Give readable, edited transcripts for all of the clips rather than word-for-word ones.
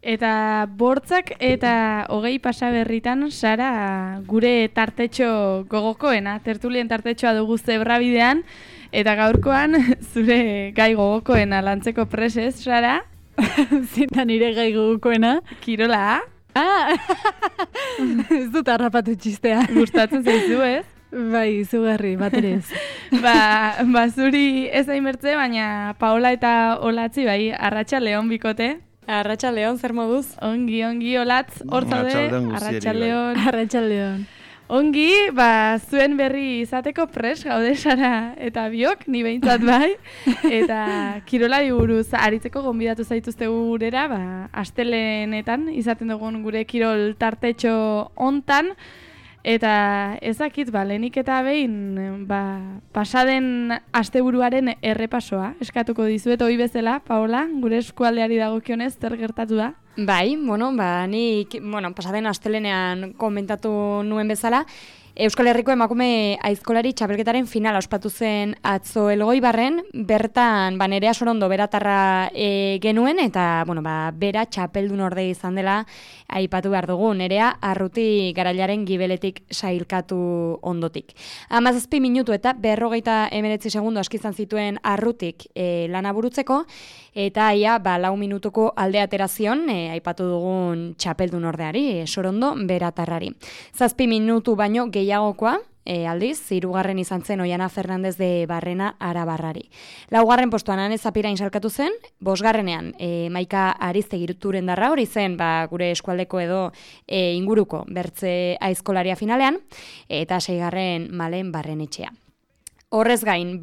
Eta bortzak eta 20 pasaberritan, Sara, gure tartetxo gogokoena, tertulien tartetxoa dugu zebrabidean, eta gaurkoan zure gai gogokoena lantzeko presez, Sara? Zinta nire gai gogokoena. Kirola? Ez dut harrapatu txistea. Gustatzen zaizu, ez? Bai, izugarri, baterez. Ba, zuri ez aimertze, baina Paola eta Olatzi, bai, Arratsaldeon bikote. Arratsaldeon, zer moduz? Ongi, Olatz, hor zaude, Arratsaldeon. Ongi, ba, zuen berri izateko pres gaude Sara eta biok, ni behintzat bai, eta kirolari buruz aritzeko gonbidatu zaituzte gurera, ba, astelenetan izaten dugun gure kirol tartetxo hontan, eta ezakit, ba, lehenik eta behin, ba, pasaden asteburuaren errepasoa eskatuko dizuet hori bezala, Paola, gure eskualdeari dagokionez, zer gertatu da? Bai, nik, pasaden astelenean komentatu nuen bezala, Euskal Herriko emakume aizkolari txapelketaren finala ospatu zen atzo Elgoibarren, bertan Nerea Sorondo beratarra genuen, eta bera txapeldun orde izan dela aipatu behar dugu, Nerea Arruti Garailaren gibeletik sailkatu ondotik. 17 minutu eta 59 segundo askizan zituen Arrutik lana burutzeko, eta ia 4 minutuko alde aterazion aipatu dugun txapeldun ordeari, Sorondo beratarrari. 7 minutu baino gehiagokoa, aldiz, 3. izan zen Oiana Fernandez de Barrena Arabarrari. 4. postuan Ane Zapirain salkatu zen, 5. Maika Ariztegirturen darra hori zen, gure eskualdeko edo inguruko bertze aizkolaria finalean, eta 6. Malen Barrenetxea. Horrez gain,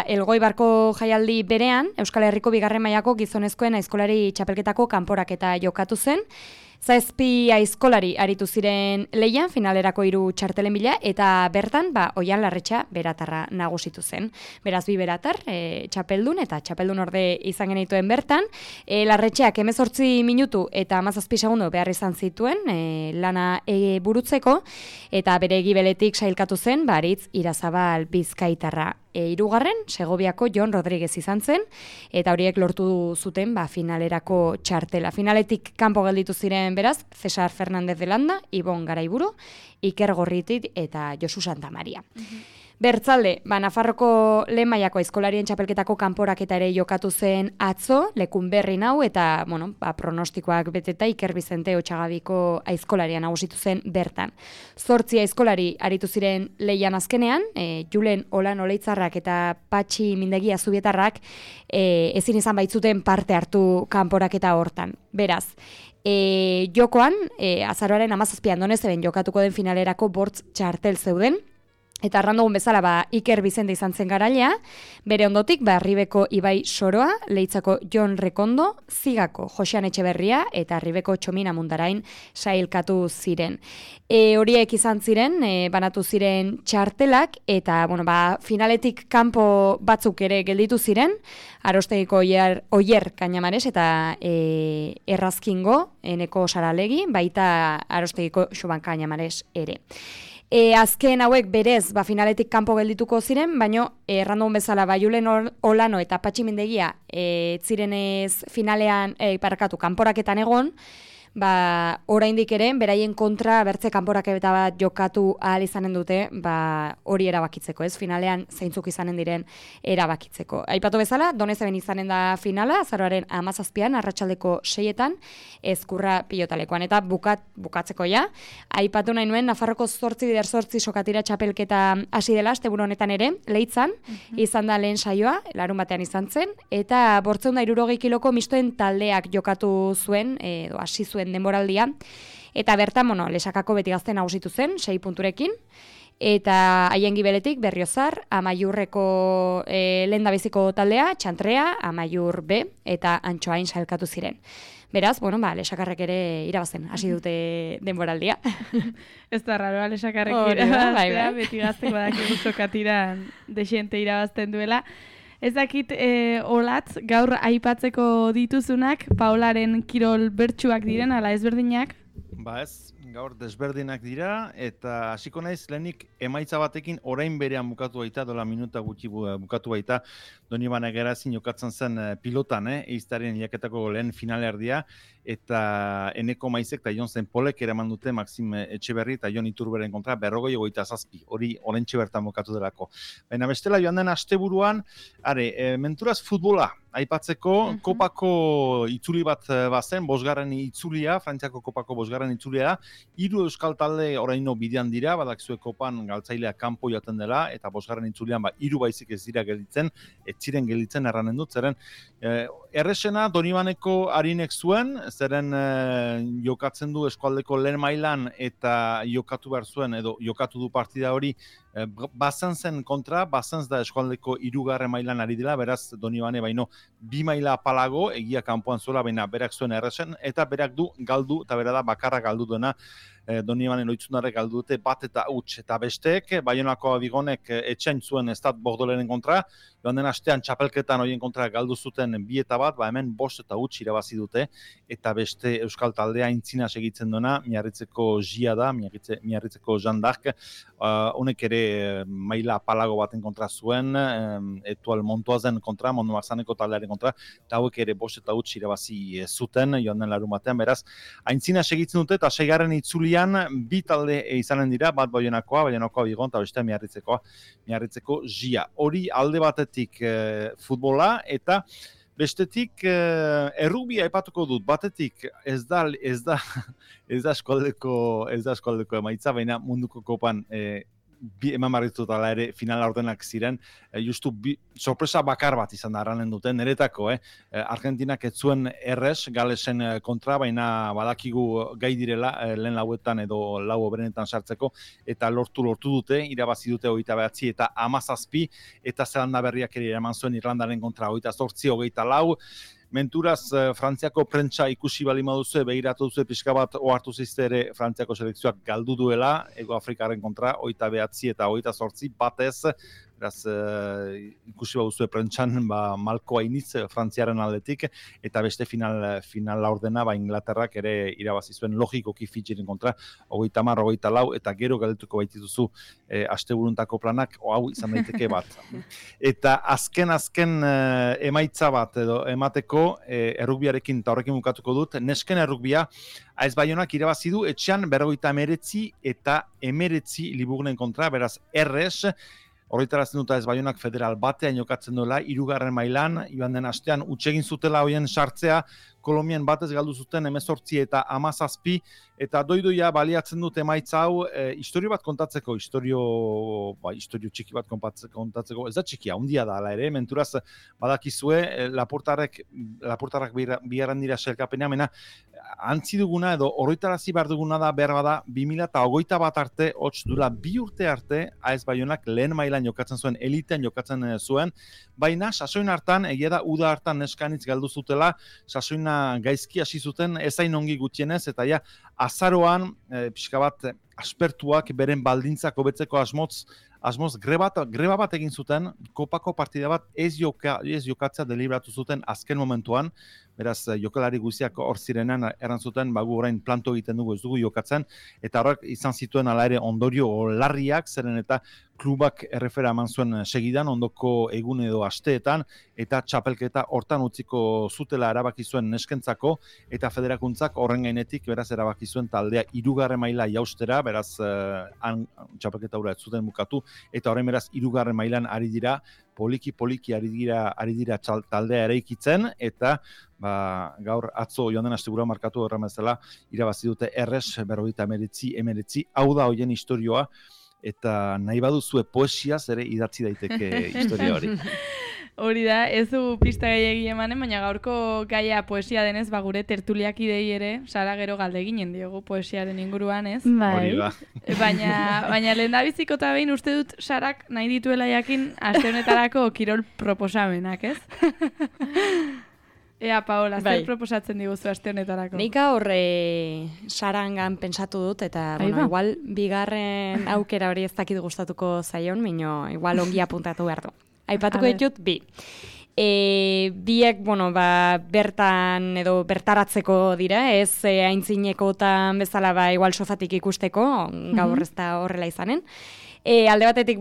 Elgoibarko jaialdi berean, Euskal Herriko 2. mailako gizonezkoen aizkolari txapelketako kanporaketa jokatu zen, 7 aizkolari aritu ziren lehian, finalerako 3 txartelen bila, eta bertan, Oian Larretxa beratarra nagusitu zen. Beraz, 2 beratar, txapeldun, eta txapeldun orde izan genituen bertan. Larretxeak 18 minutu eta 17 segundo behar izan zituen lana burutzeko, eta bere gibeletik sailkatu zen, Aritz Irazabal Bizkaitarra. 3. Segoviako Jon Rodríguez izan zen, eta horiek lortu zuten finalerako txartela. Finaletik kanpo gelditu ziren beraz, Cesar Fernández de Landa, Ibon Garaiburu, Iker Gorritik eta Josu Santamaria. Bertzalde, Nafarroko lehen mailako aizkolarien txapelketako kanporaketa ere jokatu zen atzo, lekun berri nau, eta pronostikoak beteta Iker Bizente Otxagabiko aizkolaria nagusitu zen bertan. 8 aizkolari aritu ziren lehian azkenean, Julen Olan Oleitzarrak eta Patxi Mindegi Azubietarrak ezin izan baitzuten parte hartu kanporaketa hortan. Beraz, jokoan, azaroaren 17 Donezeben jokatuko den finalerako bortz txartel zeuden, eta arrandogun bezala Iker Bizente izan zen garailea, bere ondotik Ribeko Ibai Soroa, Leitzako Jon Rekondo, Zigako Josean Etxeberria eta Ribeko Txomina Mundarain sailkatu ziren. Horiek izan ziren, banatu ziren txartelak, eta finaletik kanpo batzuk ere gelditu ziren, Arostegiko Oier Kainamares eta Errazkingo, Eneko Saralegi, baita Arostegiko Xuban Kainamares ere. Azken hauek berez finaletik kanpo geldituko ziren, baino errandogun bezala Julen Olano eta Patxi Mindegia zirenez finalean kanporaketan egon, oraindik ere beraien kontra bertze kanporaketa bat jokatu ahal izanen dute, hori erabakitzeko, ez? Finalean zeintzuk izanen diren erabakitzeko. Aipatu bezala, Donezeben izanen da finala, azaroaren 17 arratsaldeko 6etan, Ezkurra pilotalekoan. Eta bukatzeko ja, aipatu nahi nuen, Nafarroko 8x8 sokatira txapelketa hasi dela, asteburu honetan ere, Leitzan, izan da lehen saioa, larun batean izan zen, eta 560 kiloko mistoen taldeak jokatu zuen, edo hasi zuen denboraldia, eta bertan, lesakako beti gazte nagusitu zen, 6 punturekin, eta haien gibeletik Berriozar, Amaiurreko lehendabiziko taldea, Txantrea, Amaiur B, eta Antxoain sailkatu ziren. Beraz, lesakarrek ere irabazten, hasi dute denboraldia. Ez da raro, lesakarrek irabaztea, beti gazteko dakigu sokatiran desente irabazten duela. Ez dakit, Olatz, gaur aipatzeko dituzunak, Paolaren kirol bertsuak diren, ala ezberdinak? Ez, gaur desberdinak dira, eta hasiko naiz lehenik emaitza batekin orain berean bukatu baita, dola minuta gutxi bukatu baita, Donibane Garazin jokatzen zen pilotan, eiztaren hilaketako lehen finalerdia, eta Eneko Maizek eta Jon Zenpolek eraman dute Maxim Etxeberri eta Jon Iturberen kontra 47, hori orentxe bertan bukatu delako. Baina bestela joan den asteburuan, menturaz futbola, aipatzeko kopako itzuli bat bazen, bosgarren itzulia, Frantziako kopako bosgarren itzulia da, 3 euskal talde oraino bidean dira, badakizue kopan galtzailea kanpo joaten dela, eta bosgarren itzulian 3 baizik ez dira gelditzen, ez ziren gelditzen erranen dut, zeren erresena Donibaneko harinek zuen, zeren jokatzen du eskualdeko lehen mailan eta jokatu behar zuen, edo jokatu du partida hori, Bazenzen kontra, Bazenz da eskualdeko 3. mailan ari dela, beraz Donibane baino 2 maila apalago, egia kanpoan zuela, baina berak zuen erresen, eta berak du galdu, eta bera da bakarra galdu duena, Donibanen oitzunarek galdu dute bat eta huts, eta besteek, Baionako Abigonek etxain zuen Estat Bordoleren kontra, joan den astean txapelketan horien kontra galdu zuten 2-1, hemen 5 eta huts irabazi dute, eta beste euskal taldea intzina segitzen duena, Miarritzeko Gia da, Miarritzeko Jean d'Arc, honek ere maila apalago baten kontra zuen, Etual Montoazen kontra, Mondo Marzaneko taldearen kontra, eta hauek ere 5 eta huts irabazi zuten, joan den larun batean, beraz, aintzina segitzen dute, eta 6. itzulian 2 talde izanen dira, bat Baionakoa Bigon, eta beste Miarritzeko Gia. Hori alde batetik futbola, eta bestetik errugbia aipatuko dut, batetik ez da eskualdeko emaitza, baina munduko kopan eman barritu dela ere final ordenak ziren, justu sorpresa bakar bat izan da arranen duten, niretako, Argentinak ez zuen errez Galesen kontra, baina badakigu gai direla lehen lauetan edo lau oberenetan sartzeko, eta lortu dute, irabazi dute 29 eta 17, eta Zelanda Berriak ere eman zuen Irlandaren kontra 28, 24, menturaz, Frantziako prentsa ikusi bali maduzue, begiratu duzu pixka bat ohartu zizte ere Frantziako selekzioak galdu duela, Ego Afrikaren kontra, 29 eta 28, batez, beraz, ikusi baduzue prentsan, malko hainitz Frantziaren aldetik, eta beste final laurdena, Inglaterrak ere irabazi zuen logikoki Fidjiren kontra, 30, 24, eta gero galdetuko baitituzu asteburuntako planak, hau izan daiteke bat. Eta azken emaitza bat edo emateko, errugbiarekin eta horrekin bukatuko dut, nesken errugbia, AS Baionak irabazi du etxean 49 eta 19 Liburnen kontra, beraz errez, horretarazten dut AS Baionak federal batean jokatzen duela, 3. mailan, joan den astean utxegin zutela hoien sartzea, Kolombian batez galdu zuten 18 eta 17, eta doidoia baliatzen dut emaitza hau, historio bat kontatzeko, historio txiki bat kontatzeko, ez da txikia, handia da ala ere, menturaz badakizue, Laportarrak bigarren dira sailkapenean, mena antzi duguna edo horretarazi behar duguna da, behar bada, 2021 arte, hots dula 2 urte arte, AS Baionak lehen mailan jokatzen zuen, elitean jokatzen zuen, baina sasoin hartan, egia da, uda hartan neskanitz galdu zutela, sasoina gaizki hasi zuten, ezain ongi gutxienez, eta ja, azaroan, pixka bat, aspertuak beren baldintzak hobetzeko asmoz greba bat egin zuten, kopako partida bat ez jokatzea deliberatu zuten azken momentuan, beraz jokalari guziak hor zirenan erantzuten, gu orain planto egiten dugu ez dugu jokatzen, eta horrek izan zituen ala ere ondorio larriak, zeren eta klubak errefera eman zuen segidan, ondoko egun edo asteetan, eta txapelketa hortan utziko zutela erabaki zuen neskentzako, eta federakuntzak horren gainetik beraz erabaki zuen taldea 3. maila jaustera, beraz txapelketa hura ez zuten bukatu, eta horren beraz 3. mailan ari dira, poliki ari dira taldea eraikitzen, eta gaur atzo joan den astegura markatu horren bezala irabazi dute errez 49, hau da hoien historioa, eta nahi baduzue poesiaz ere idatzi daiteke historia hori. Hori da, ez du pista gehiagi emanen, baina gaurko gaia poesia denez, gure tertuliak idei ere, Sara gero galde ginen diogu poesiaren inguruan, ez? Bai. Baina lehen da biziko eta behin uste dut Sarak nahi dituela jakin aste honetarako kirol proposamenak, ez? Ea, Paola, zer proposatzen diguzu aste honetarako? Nik horre Sarangan pentsatu dut, eta igual bigarren aukera hori ez dakit gustatuko zaion, igual ongi apuntatu behar du. Aipatuko ditut 2. Biek, bertan edo bertaratzeko dira, ez aintzinekotan bezala igual sofatik ikusteko, gaur ez da horrela izanen. Alde batetik,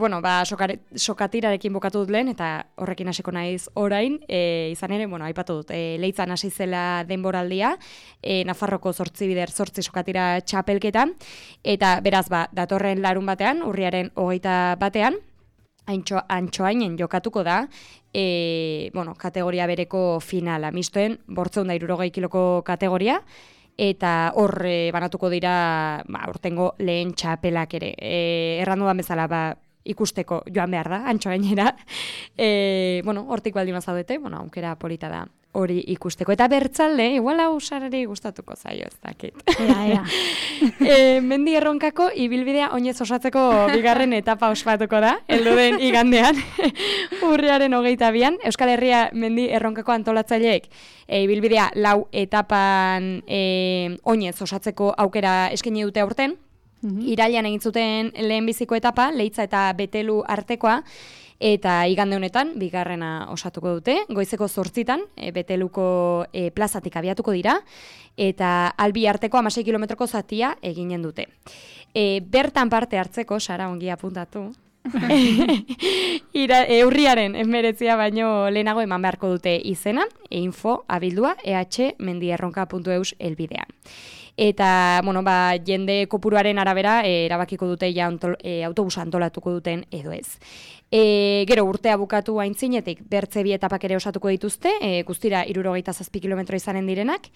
sokatirarekin bukatu dut lehen, eta horrekin hasiko naiz orain, izan ere, aipatu dut, Leitzan hasi zela denboraldia, Nafarroko 8 bider 8 sokatira txapelketa, eta beraz, datorren larun batean, urriaren 21 Antxoainen jokatuko da, kategoria bereko finala, mistoen, 860 kiloko kategoria, eta hor banatuko dira urtengo lehen txapelak ere. Errandu da bezala ikusteko joan behar da, Antxoainera. Hortik baldin mazaudete, aukera polita da hori ikusteko. Eta bertzalde, igual hau sarari gustatuko zaio, ez dakit. Ea. Mendi Erronkako ibilbidea oinez osatzeko bigarren etapa ospatuko da, heldu den igandean, urriaren 22an. Euskal Herria Mendi Erronkako antolatzaileek ibilbidea 4 etapan oinez osatzeko aukera eskaini dute aurten. Irailean egin zuten lehenbiziko etapa, Leitza eta Betelu artekoa, eta igande honetan, bigarrena osatuko dute, goizeko 8 Beteluko plazatik abiatuko dira, eta Albi arteko 16 kilometroko zatia eginen dute. Bertan parte hartzeko, Sara ongi apuntatu, urriaren 19 baino lehenago eman beharko dute izena, info abildua ehmendierronka.eus helbidean. Eta, jende kopuruaren arabera erabakiko dute autobusa antolatuko duten edo ez. Gero urtea bukatu aintzinetik, bertze 2 etapak ere osatuko dituzte, guztira 67 kilometro izanen direnak.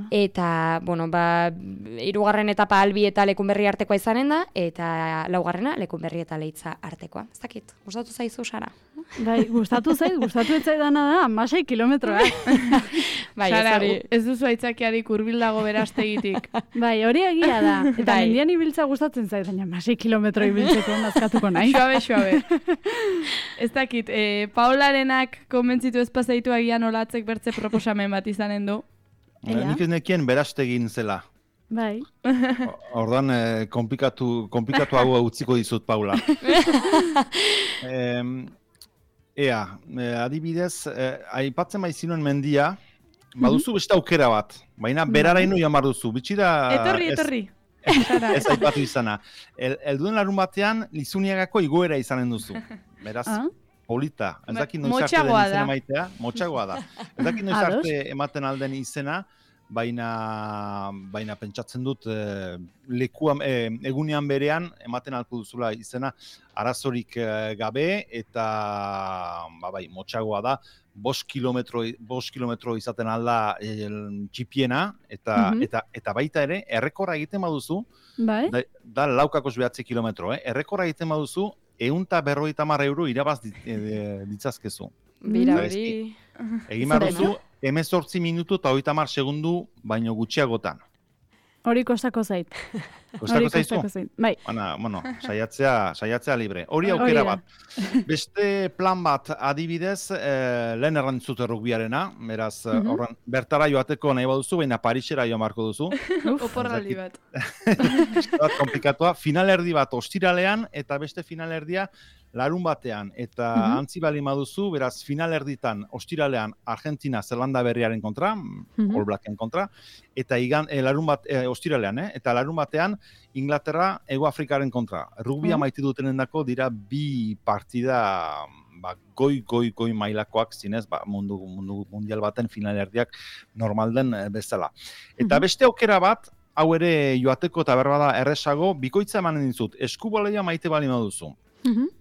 Eta, 3. etapa Albi eta Lekunberri artekoa izanen da, eta 4. Lekunberri eta Leitza artekoa. Ez dakit, gustatu zaizu, Sara? Bai, gustatu ez zaidana da, 16 kilometroak. Sara, ez duzu aitzakiarik hurbildago berastegitik. Bai, hori egia da. Eta mendian ibiltza gustatzen zait, baina 16 kilometro ibiltzeko nazkatuko nahi. Xoabe. Ez dakit, Paularenak konbentzitu ez pasaitu agian olatzek bertze proposamen bat izanen du. Nik ez nekien berastegin zela. Bai. Ordan komplikatu hau utziko dizut, Paula. Adibidez, aipatzen baizinuen mendia, baduzu beste aukera bat, baina beraraino jamar duzu. Bitxira... Etorri. Ez aipatu izana. Elduden larun batean, Lizuniagako igoera izanen duzu. Beraz, polita. Ez dakit noiz arte den izena maitea. Motxagoa da. Ez dakit noiz arte ematen alden izena, baina pentsatzen dut egunean berean ematen alko duzula izena arazorik gabe, eta motxagoa da. 5 kilometro izaten alda txipiena, eta baita ere, errekorra egiten baduzu, da 4,9 kilometro, errekorra egiten baduzu, 150 euro irabaz ditzazkezu. Bira hori. Egin baduzu, 18 minutu eta 30 segundu baino gutxiagotan. Hori kostako zait. Kostako zaizu? Bai. Saiatzea libre. Hori aukera bat. Beste plan bat adibidez, lehen errantzut rugbiarena, beraz, bertara joateko nahi baduzu, baina Parisera joan marko duzu. Oporraldi bat. Bat komplikatua. Finalerdi bat ostiralean, eta beste finalerdia larun batean, eta antzi bali maduzu, beraz, finalerditan, ostiralean, Argentina, Zelanda berriaren kontra, All Blacken kontra, eta ostiralean, eta larun batean, Inglaterra, Ego Afrikaren kontra. Rugbia maite dutenendako dira 2 partida goi mailakoak zinez, mundu mundial baten finalerdiak normalden bezala. Eta beste aukera bat, hau ere joateko eta berbada erresago, bikoitza emanen dizut, eskuboleia maite bali maduzu.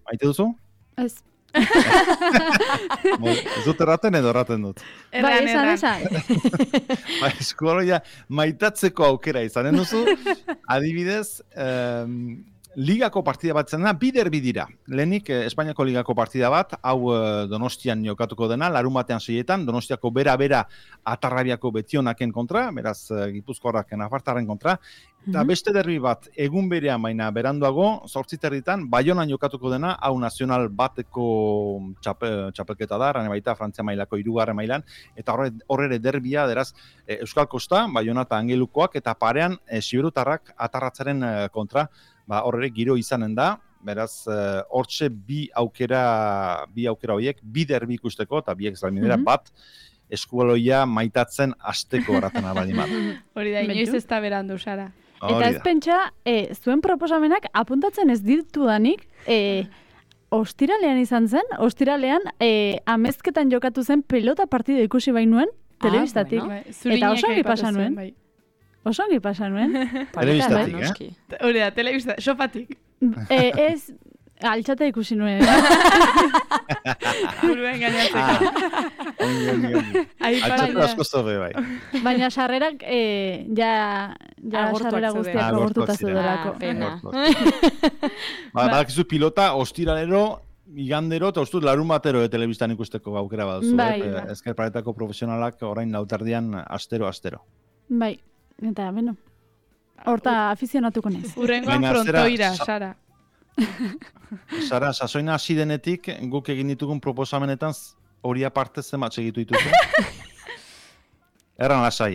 Maite duzu? Ez. Ez dut erraten edo erraten dut? Esan. Eskuboleia maitatzeko aukera izanen duzu, adibidez, ligako partida bat zen da, bider bidira. Lehenik, Espainiako ligako partida bat, hau Donostian jokatuko dena, larun batean 6etan, Donostiako bera Atarrabiako Betionaken kontra, beraz Gipuzkoarrak Nafartarren kontra, eta beste derbi bat, egun berean baina beranduago, 8:30 Baionan jokatuko dena, hau nazional bateko txapelketa da, rane baita Frantzia mailako 3. mailan, eta horre derbia, deraz, Euskal Kosta, Baiona eta Angelukoak, eta parean Siberutarrak Atarratzaren kontra, horre giro izanen da, beraz, hortxe bi aukera horiek, bi derbi ikusteko, eta biek zalminera bat, eskubaloia maitatzen asteko horretan abadimat. Hori da, inoiz ez da berandu, Sara. Eta ez pentsa, zuen proposamenak apuntatzen ez ditudanik, ostiralean izan zen, amezketan jokatu zen pelota partida ikusi bainuen, telebistatik. Eta oso ongi pasa nuen. Oso ongi pasa nuen. Telebistatik, Hori da, telebistatik, sofatik. Ez, altxata ikusi nuen. Buruen gainatzeko. Ongi. Altxatu asko zobe, bai. Baina sarrerak, sarrera guztiak agortuta zeudelako. Pena. Badakizu pilota, ostiralero, igandero, eta ustut larun batero telebistan ikusteko aukera baduzu. Ezker Paretako profesionalak orain lautardian astero. Bai, eta, beno. Horta afizionatuko naiz. Urrengoan frontoira, Sara. Sara, sasoina hasi denetik, guk egin ditugun proposamenetan hori aparte zenbat segitu dituzu? Erran lasai,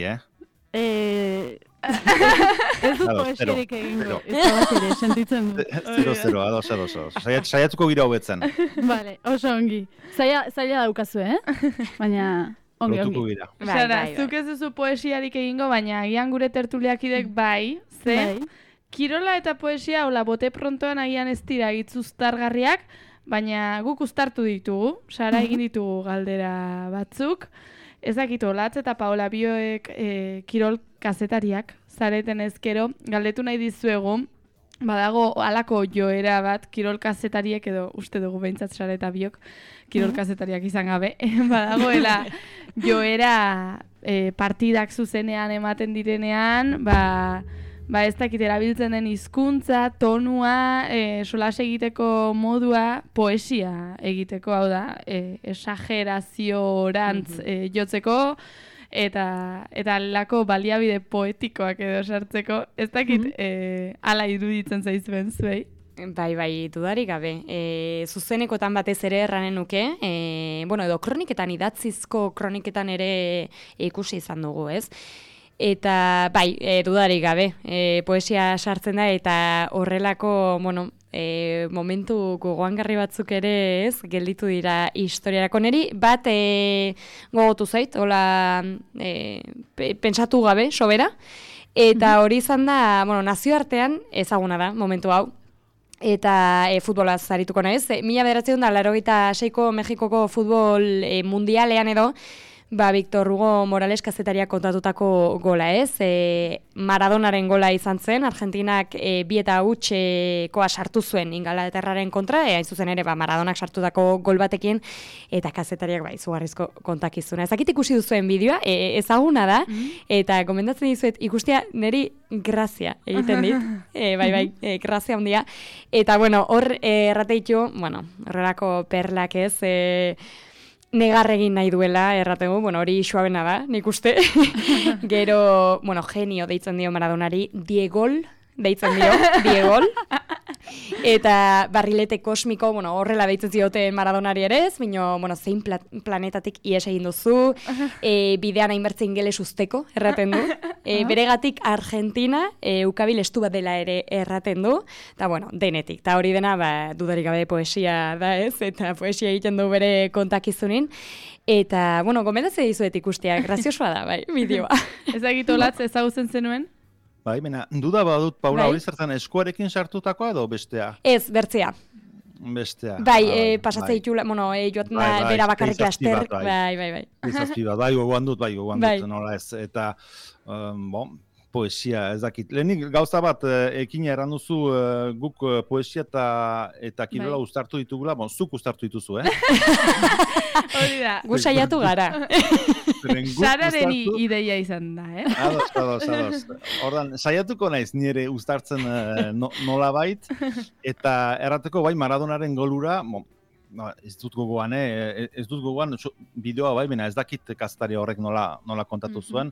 Ez dut poesierik egingo. Ez da bat ere, sentitzen du. 0-0, ados. Saiatuko gira hobetzen. Vale, oso ongi. Zaila daukazu, Baina ongi. Sara, zuk ez duzu poesiarik egingo, baina agian gure tertuliakidek bai, kirola eta poesia, hola, bote prontoan agian ez dira itzuztargarriak, baina guk uztartu ditugu, Sara egin ditugu galdera batzuk, ez dakit Olatz eta Paola bioek kirol kazetariak, zareten ezkero, galdetu nahi dizuegu, badago halako joera bat kirol kazetariek edo uste dugu behintzat Sara eta biok kirol kazetariak izan gabe, badagoela joera partidak zuzenean ematen direnean, ez dakit erabiltzen den hizkuntza, tonua, solas egiteko modua, poesia egiteko, hau da, esageraziorantz jotzeko, eta lako baliabide poetikoak edo sartzeko, ez dakit ala iruditzen zaizuen zuei. Bai, dudarik gabe. Zuzenekotan batez ere erranen nuke, edo kroniketan, idatzizko kroniketan ere ikusi izan dugu, ez? Eta, dudarik gabe, poesia sartzen da, eta horrelako, momentu gogoangarri batzuk ere, ez, gelditu dira historiarako neri, bat gogotu zait, hola, pentsatu gabe, sobera, eta hori izan da, nazioartean ezaguna da, momentu hau, eta futbolaz arituko naiz. 1986ko Mexikoko futbol mundialean edo, Victor Hugo Morales kazetariak kontatutako gola, ez? Maradonaren gola izan zen, Argentinak 2-0 sartu zuen Ingalaterraren kontra, hain zuzen ere Maradonak sartutako gol batekin, eta kazetariak izugarrizko kontakizuna. Ezakit ikusi duzuen bideoa, ezaguna da, eta gomendatzen dizuet ikustea neri grazia egiten dit, grazia handia. Eta hor errateitu, horrelako perlak ez, negar egin nahi duela, errategu, hori suabena da, nik uste. Gero, genio deitzen dio Maradonari, Diegol deitzen Diegol. Eta barrilete kosmiko, horrela deitzen ziote Maradonari ere ez, zein planetatik ies egin duzu, bidean hainbertze ingeles usteko, erraten du. Beregatik Argentina, ukabil estu bat dela ere erraten du, eta denetik. Eta hori dena, dudarik gabe poesia da ez, eta poesia egiten du bere kontakizunin. Eta, gomendatzen dizuet ikustea, graziosoa da, bideoa. Ezagit Olatz ezagutzen zenuen? Mena, duda badut, Paula, hori zertan eskuarekin sartutakoa edo bestea? Ez, bertzea. Bestea. Pasatzea itxula, joaten da, bera bakarrik laster. Bai. Izazpi bat, gogoan dut, nola ez. Eta, poesia, ez dakit. Lehenik gauza bat, ekin erran duzu guk poesia eta kirola uztartu ditugula, zuk uztartu dituzu, Hori da. Gu saiatu gara. Sararen ideia izan da, Ados. Ordan, saiatuko naiz nire uztartzen nola bait, eta errateko Maradonaren golura, ez dut gogoan, bideoa bena ez dakit kazetari horrek nola kontatu zuen,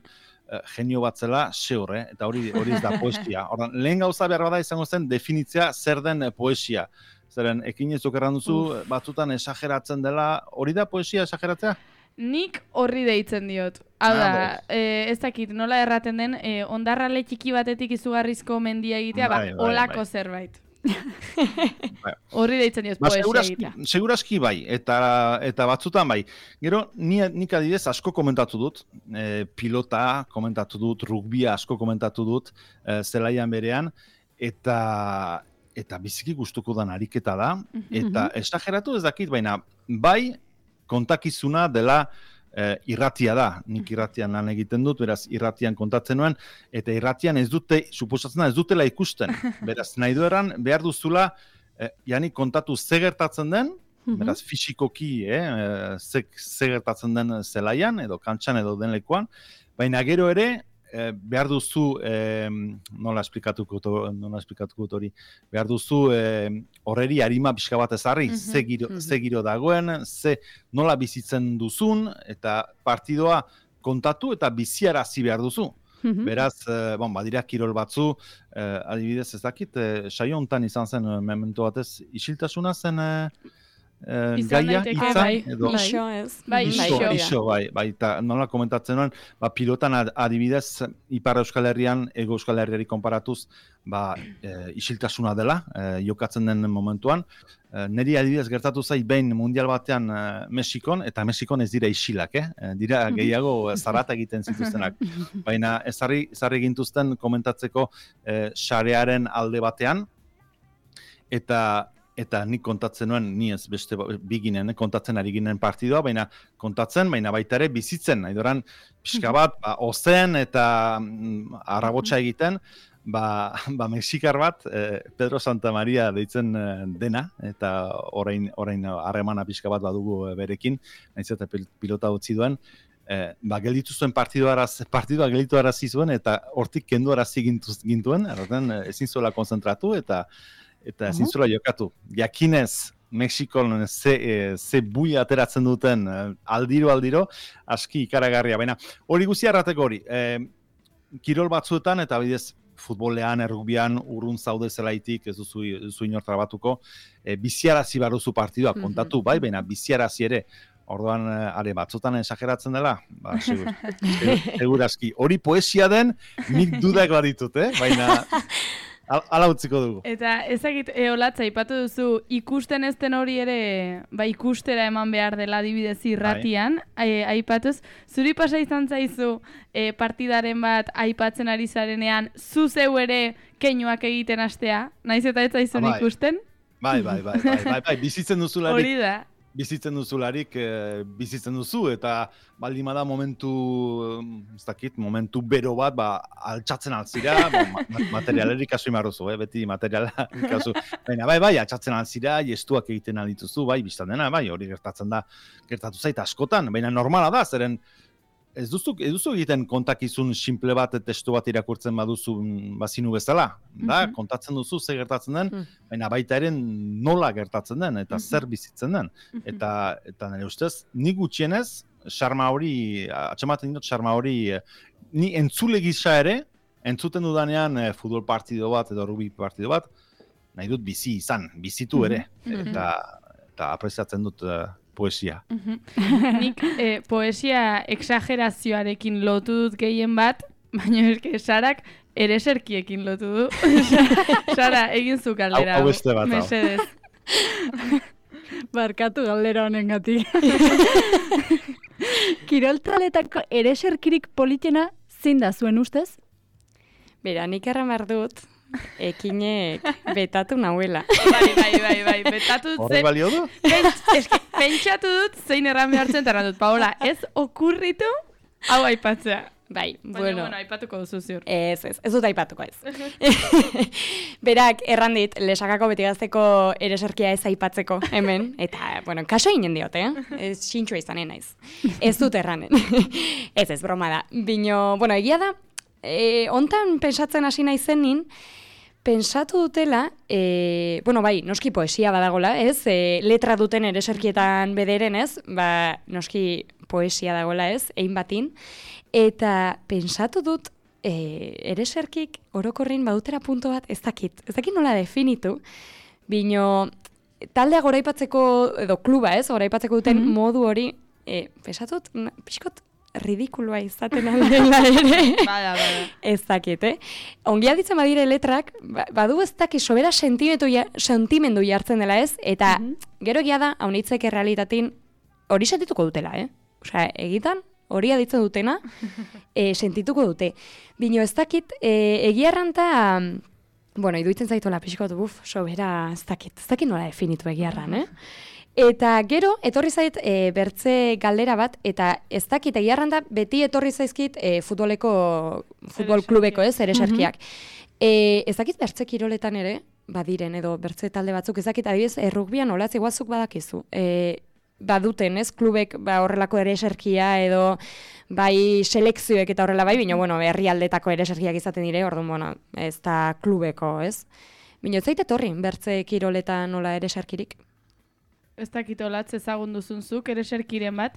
genio bat zela, seur, eta hori ez da poesia. Ordan, lehen gauza behar bada izango zen definitzea zer den poesia. Zeren, ekin ez dukerran duzu, batzutan esageratzen dela, hori da poesia esageratzea? Nik horri deitzen diot. Hau da, ez dakit, nola erraten den, ondarrale txiki batetik izugarrizko mendia egitea, olako zerbait. Horri deitzen dioz poesia egitea. Segurazki bai, eta batzutan bai. Gero, nik adibidez asko komentatu dut, pilota komentatu dut, rugbia asko komentatu dut, zelaian berean, eta biziki gustuko dan ariketa da, eta esageratu ez dakit, baina bai kontakizuna dela irratia da. Nik irratian lan egiten dut, beraz irratian kontatzen nuen, eta irratian suposatzen da ez dutela ikusten. Beraz, nahi dueran behar duzula, janik kontatu ze gertatzen den, beraz fisikoki ze gertatzen den zelaian, edo kantxan edo den lekuan, baina gero ere, behar duzu, nola esplikatuko hori, behar duzu horreri harima pixka bat ezarri, ze giro dagoen, nola bizitzen duzun, eta partidoa kontatu eta biziarazi behar duzu. Beraz, badira kirol batzu, adibidez ez dakit, saio hontan izan zen memento batez, isiltasuna zen gaia, edo iso, eta nola komentatzen nuen, pilotan adibidez, Ipar Euskal Herrian, Ego Euskal Herriari konparatuz, isiltasuna dela, jokatzen den momentuan. Neri adibidez gertatu zait behin mundial batean Mexikon, eta Mexikon ez dira isilak, dira gehiago zarata egiten zituztenak. Baina ezarri gintuzten komentatzeko sarearen alde batean, eta nik kontatzen nuen, ni ez beste biginen, kontatzen ari ginen partidoa, baina baita ere bizitzen, nahi doran pixka bat, ozen eta arrabotsa egiten, Mexikar bat, Pedro Santa Maria deitzen dena, eta orain harremana pixka bat badugu berekin, nahiz eta pilota utzi duen, gelditu zuen partidua gelditu arazi zuen, eta hortik kendu arazi gintuen, ezin zuela konzentratu, eta ezin zuela jokatu. Jakinez, Mexikon ze bui ateratzen duten aldiro, aski ikaragarria. Baina, hori guztia errateko hori, kirol batzuetan, eta bidez, futbolean, errugbian, urrun zaude zelaitik, ez duzu inortra batuko, biziarazi baruzu partidua kontatu, bai, baina biziarazi ere, orduan, batzutan esageratzen dela, segurazki. Hori poesia den, nik dudak baditut, baina ala utziko dugu. Eta ezagit, Olatza, ipatu duzu, ikusten ezten hori ere, ikustera eman behar dela adibidez irratian, aipatuz, zuri pasa izan zaizu partidaren bat aipatzen ari zarenean, zu zeu ere keinuak egiten hastea, naiz eta ez zaizun ikusten? Bai, bizitzen duzularik. Hori da. Bizitzen duzularik, bizitzen duzu, eta baldimada momentu bero bat, altxatzen altzira, materialerik kasu imarruzu, beti materiala kasu. Baina, bai, altxatzen altzira, gestuak egiten aldituzu, bai, biztan dena, bai, hori gertatu zait askotan, baina normala da, zeren ez duzu egiten kontakizun simple bat, testu bat irakurtzen baduzu bazinu bezala, da, kontatzen duzu ze gertatzen den, baina baita ere nola gertatzen den, eta zer bizitzen den. Eta nire ustez, nik gutxienez, xarma hori, atxematen dut xarma hori, ni entzule gisa ere, entzuten dudanean futbol partido bat edo rugby partido bat, nahi dut bizitu ere, eta apreziatzen dut poesia. Nik poesia exagerazioarekin lotu dut gehien bat, baina eske Sarak ereserkiekin lotu du. Sara, egin zu galdera. Hau beste bat, mesedez. Barkatu galdera honengatik. Kiroltaletako ereserkirik politena zein da zuen ustez? Bera, nik erran behar dut, ekinek betatu nahuela. Bai, betatu dut. Horre balio du? Pentsatu dut zein erran behartzen eta erran dut. Paola, ez okurritu hau aipatzea. Bai, bueno, aipatuko duzu ziur. Ez dut aipatuko ez. Berak, erran dit, Lesakako Betigazteko ereserkia ez aipatzeko hemen, eta, bueno, kaso inen diot, ez xintxua izanen naiz. Ez dut erranen. Ez broma da. Bino, bueno, egia da, hontan pensatzen hasi naizenin, pensatu dutela, bueno, bai, noski poesia badagola, ez? Letra duten ereserkietan bederen, ez? Noski poesia dagola, ez? Ein batin. Eta pensatu dut, ereserkik orokorrin badutera punto bat, ez dakit nola definitu, bino taldea goraipatzeko, edo kluba, ez? Goraipatzeko duten modu hori, pensatu dut, pixkot, ridikulua izaten aldela ere. Bada. Ez dakit, Ongi aditzen badire letrak, badu ez dakit sobera sentimendu jartzen dela ez, eta gero egia da, haunitzek errealitatin hori sentituko dutela, Osea, egitan, hori aditzen dutena, sentituko dute. Bino ez dakit, egia erranta, bueno, iduitzen zaituela pixkot, sobera ez dakit nola definitu egia erran, Eta gero, etorri zait bertze galdera bat, eta ez dakit egia erranta, beti etorri zaizkit futbol klubeko, ereserkiak. Ez dakit bertze kiroletan ere, badiren, edo bertze talde batzuk, ez dakit adibidez, rugbian olatz iguazuk badakizu. Baduten, klubek horrelako ereserkia edo bai selekzioek eta horrela bai, bino, herrialdetako ereserkiak izaten dire, orduan, ez da klubeko, ez? Bino, ez zaite etorri, bertze kiroletan nola ereserkirik? Ez dakit olatz ezagun duzunzuk, ereserkiren bat?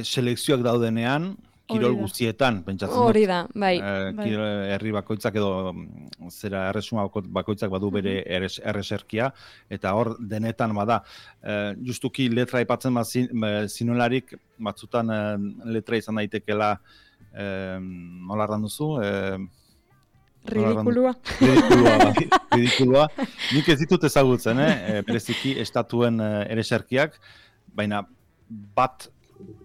Selekzioak daudenean, kirol guztietan, pentsatzen dut. Hori da, bai. Herri bakoitzak edo zera erresuma bakoitzak badu bere erreserkia, eta hor denetan bada. Justuki letra aipatzen zinolarik, batzutan letra izan daitekela, nola erran duzu? Ridikulua. Nik ez ditut ezagutzen, bereziki estatuen ereserkiak, baina bat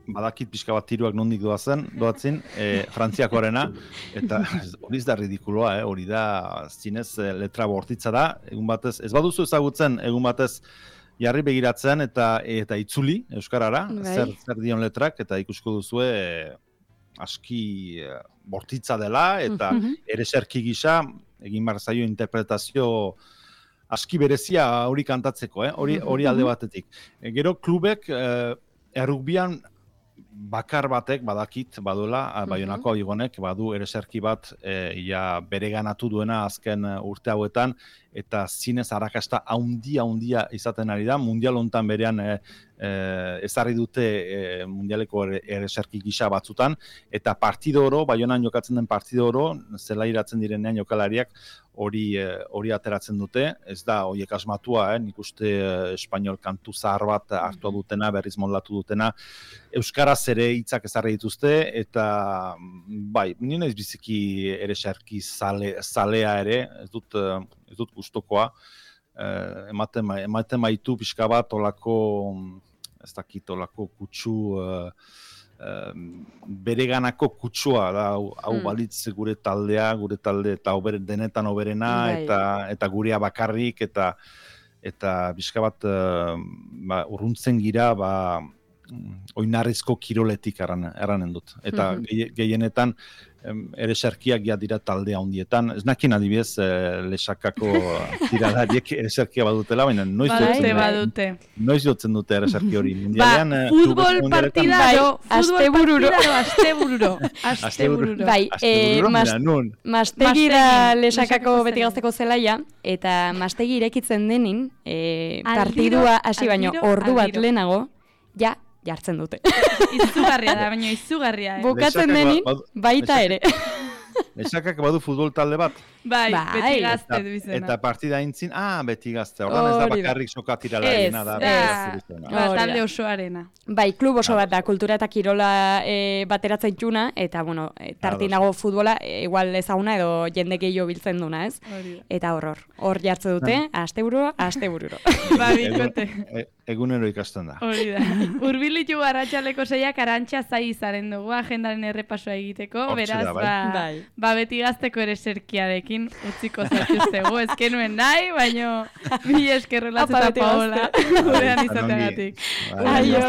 badakit pixka bat tiruak nondik doatzen, Frantziakoarena, eta hori ez da ridikulua, hori da zinez letra bortitza da, egun batez, ez baduzu ezagutzen, egun batez jarri begiratzen eta itzuli Euskarara, zer dion letrak, eta ikusko duzue aski bortitza dela, eta ereserki gisa, egin behar zaio interpretazio aski berezia hori kantatzeko, hori alde batetik. Gero klubek, errugbian bakar batek badakit baduela, Baionako Abigonek badu ereserki bat bereganatu duena azken urte hauetan, eta zinez arrakasta haundia izaten ari da, mundial hontan berean ezarri dute mundialeko ereserki gisa batzutan, eta partido oro, Baionan jokatzen den partido oro, zelairatzen direnean jokalariak hori ateratzen dute, ez da horiek asmatua, nik uste espainol kantu zahar bat hartua dutena, berriz moldatu dutena, euskaraz ere hitzak ezarri dituzte, eta bai, nire ez biziki ereserki zalea ere, ez dut gustokoa, ematen maitu pixka bat olako, ez dakit, olako kutsu, bereganako kutsua da, hau balitz gure talde eta denetan oberena, eta gurea bakarrik, eta pixka bat urruntzen gira, oinarrizko kiroletik erranen dut. Eta gehienetan ereserkiak dira talde handietan. Ez nakin adibidez Lesakako tiradariek ereserkia badutela, baina noiz jotzen dute ereserki hori. Futbol partidaro, astebururo. Bai, Mastegi da Lesakako beti gazteko zelaia, eta Mastegi irekitzen denin, partidua hasi baino ordu bat lehenago, jartzen dute. Izugarria da, baina izugarria. Bukatzen denin, baita ere. Lesakak badu futbol talde bat? Bai, beti gazte du izena. Eta partida intzin, beti gazte. Ordan ez da bakarrik sokatira larena da. Talde osoarena. Bai, klub oso bat da, kultura eta kirola bateratzen txuna, eta, tartinago futbola, igual ezaguna edo jende gehiago biltzen duna, ez? Eta hor jartze dute, astebururo. Ba, bikote. egunero ikasten da. Hori da. Urbilitu Arratsaleko 6ak Arantxa zai izaren dugu agendaren errepasoa egiteko, beraz, beti gazteko ere serkiarekin utziko zaituztegu, ezkenuen nahi, baino mi eskerrela eta Paola gurean izateagatik. Aio.